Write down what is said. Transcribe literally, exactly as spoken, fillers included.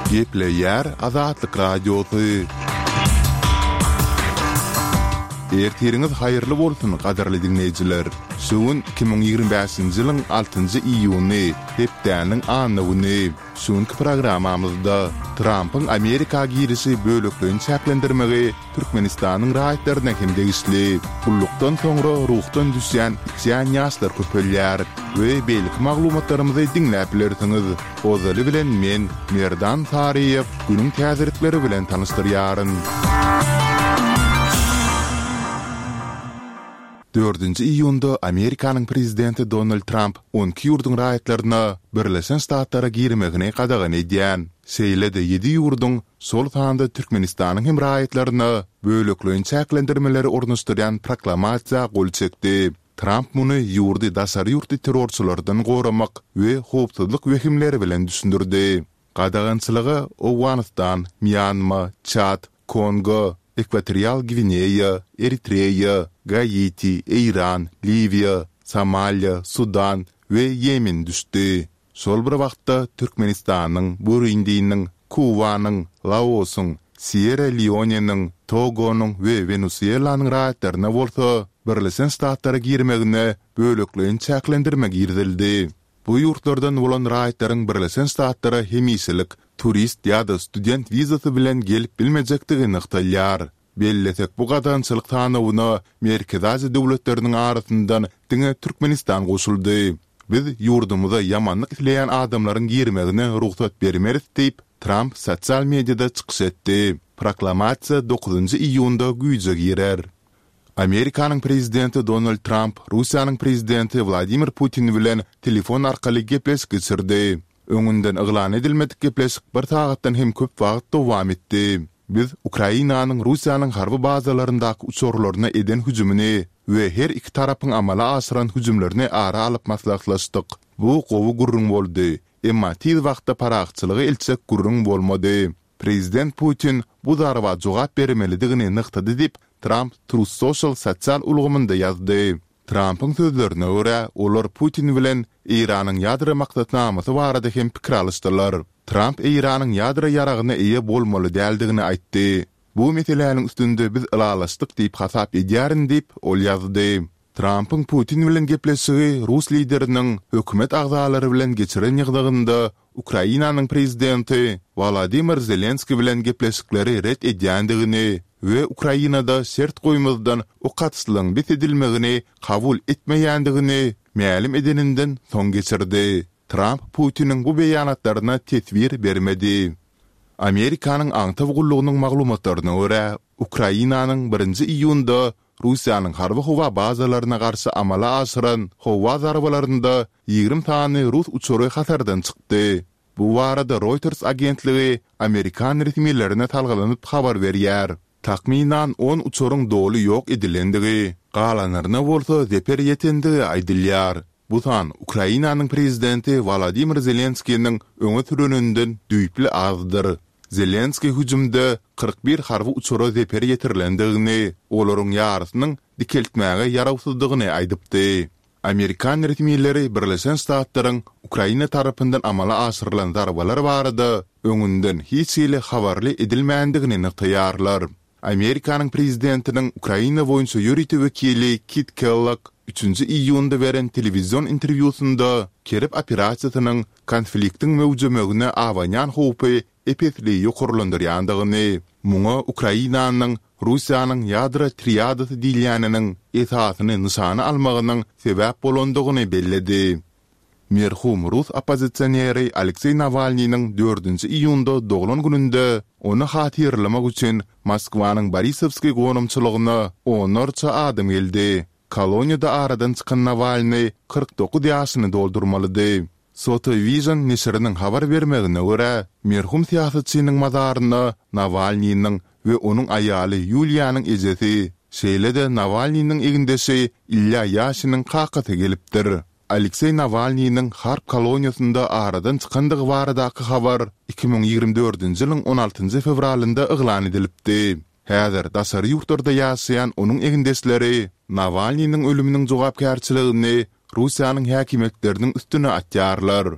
Gepleýär Azatlyk Radiosy. Ertiriňiz haýyrly bolsun, gadyrly diňleýjiler! Şu gün iki müň ýigrimi bäşinji ýylyň altynjy iýuny, hepdäniň anna güni. Şu günki programmamyzda Trampyň Amerika girişi bölekleýin çäklendirmegi Türkmenistanyň raýatlaryna hem degişli. Gullukdan soňra ruhdan düşýän, içýän ýaşlar köpelýär we beýleki maglumatlarymyzy diňläp bilersiňiz. Ozaly bilen men, Merdan Saryýew, günüň täzelikleri bilen tanyşdyrýaryn. Dördünji iýunda Amerikanyň prezidenti Donald Tramp on iki ýurduň raýatlaryna Birleşen Ştatlara girmegini gadagan edýän, şeýle-de ýedi ýurduň, şol sanda Türkmenistanyň hem raýatlaryna bölekleýin çäklendirmeleri ornaşdyrýan proklamasiýa gol çekdi. Tramp muny ýurdy daşary ýurtly terrorçylardan goramak we howpsuzlyk wehimleri bilen düşündirdi. Gadagançylyga Owganystan, Mýanma, Çad, Kongo, Ekwatorial Gwineýa, Eritreýa, Gaiti, Eýran, Liwiýa, Somaliýa, Sudan we Ýemen düşdi. Şol bir wagtda, Türkmenistanyň, Burundiniň, Kubanyň, Laosyň, Sýerra-Leoneniň, Togonyň we Wenesuelanyň raýatlaryna bolsa Birleşen Ştatlara girmegine bölekleýin çäklendirme girizildi. Bu ýurtlardan bolan raýatlaryň Birleşen Ştatlara hemişelik turist ýa-da student wizasy bilen gelip bilmejekdigi nygtalýar. Bellesek, bu gadagançylyk sanawyna Merkezi Aziýa döwletleriniň arasyndan diňe Türkmenistan goşuldy. Biz ýurdumyza ýamanlyk isleýän adamlaryň girmegine rugsat bermeris diýip, Tramp sosial mediada çykyş etdi. Proklamasiýa dokuzynjy iýunda güýje girer. Amerikanyň prezidenti Donald Tramp Russiýanyň prezidenti Wladimir Putin bilen telefon arkaly gepleşik geçirdi. Öňünden yglan edilmedik gepleşik bir sagatdan hem köp wagt dowam etdi. Biz Ukrainanyň Russiýanyň harby bazalaryndaky uçarlaryna eden hüjümini we her iki tarapyň amala aşyran hüjümlerini ara alyp maslahatlaşdyk. Bu gowy gürrüň boldy, emma tiz wagtda parahatçylyga eltjek gürrüň bolmady. Prezident Putin bu zarba jogap bermelidigini nygtady diýip, Tramp Truth Social sosial ulgamynda ýazdy. Trampyň sözlerine görä, olar Putin bilen Eýranyň ýadro maksatnamasy barada hem pikir alyşdylar. Tramp Eýranyň ýadro ýaragyna eýe bolmaly däldigini aýtdy. Bu meseläniň üstünde biz ylalaşdyk diýip hasap edýärin diýip, ol ýazdy. Trampyň Putin bilen gepleşigi rus lideriniň hökümet agzalary bilen geçiren ýygnagynda Ukrainanyň prezidenti Wolodymyr Zelenskiý bilen gepleşikleri ret edýändigini we Ukrainada şert goýmazdan ok atyşlygyň bes edilmegini kabul etmeýändigini mälim edeninden soň geçirdi. Tramp Putiniň bu beýanatlaryna teswir bermedi. Amerikanyň aňtaw gullugynyň maglumatlaryna görä, Ukrainanyň birinji iýunda Russiýanyň harby-howa bazalaryna garşy amala aşyran howa zarbalarynda ýigrimi sany rus uçary hatardan çykdy. Bu barada Reuters agentligi amerikan resmilerine salgylanyp habar berýär. Takmynan on uçaryň doly ýok edilendigi, galanlaryna bolsa zeper ýetendigi aýdylýar. Bu san Ukrainanyň prezidenti Wolodymyr Zelenskiniň öňe süreninden düýpli azdyr. Zelenskiý hüjümde kyrk bir harby uçara zeper ýetirilendigini, olaryň ýarysynyň dikeltmäge ýarawsyzdygyny aýdypdy. Amerikan resmileri Birleşen Ştatlaryň Ukraina tarapyndan amala aşyrylan zarbalar barada öňünden hiç hili habarly edilmändigini nygtaýarlar. Amerikanyň prezidentiniň Ukraina boýunça ýörite wekili Kit Kellogg üçünji iýunda beren telewizion interwýusynda Kerep operasiýasynyň konfliktiň möwjemegine abanýan howpy ep-esli ýokarlandyrýandygyny, muňa Ukrainanyň Russiýanyň ýadro triadasy diýilýäniniň esasyny nyşana almagynyň sebäp bolandygyny belledi. Merhum rus oppozisioneri Alekseý Nawalnynyň dördünji iýunda doglan gününde ony hatyralamak üçin Moskwanyň Borisowskiý gonamçylygyna onlarça adam geldi. Koloniýada aradan çykan Nawalnyý kyrk dokuz ýaşyny doldurmalydy. Sotovision neşiriniň habar bermegine görä, merhum syýasatçynyň mazaryna Nawalnynyň we onuň aýaly Ýuliýanyň ejesi, şeýle-de Nawalnynyň egindeşi Ilýa Ýaşiniň kakasy gelipdir. Alekseý Nawalnynyň Harp koloniýasynda aradan çykandygy baradaky habar iki müň ýigrimi dördünji ýylyň on altynjy fewralynda yglan edilipdi. Häzir daşary ýurtlarda ýaşaýan onuň egindeşleri Nawalnynyň ölüminiň jogapkärçiligini Russiýanyň häkimiýetleriniň üstüne atýarlar.